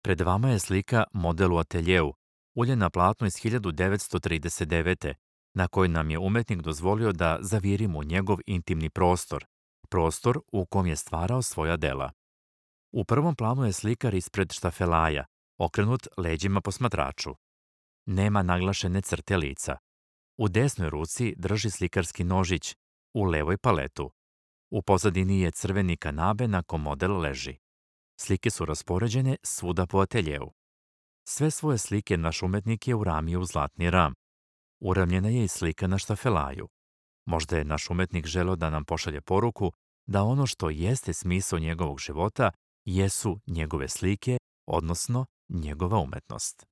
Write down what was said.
Pred vama je slika model u ateljeu, ulje na platnu iz 1939. na kojoj nam je umetnik dozvolio da zavirimo u njegov intimni prostor, prostor u kom je stvarao svoja dela. U prvom planu je slikar ispred štafelaja, okrenut leđima posmatraču. Nema naglašene crte lica. U desnoj ruci drži slikarski nožić, u levoj paletu. U pozadini je crveni kanabe na kom model leži. Slike su raspoređene svuda po ateljeu. Sve svoje slike naš umetnik je uramio u zlatni ram. Uramljena je i slika na štafelaju. Možda je naš umetnik želeo da nam pošalje poruku da ono što jeste smisao njegovog života jesu njegove slike, odnosno njegova umetnost.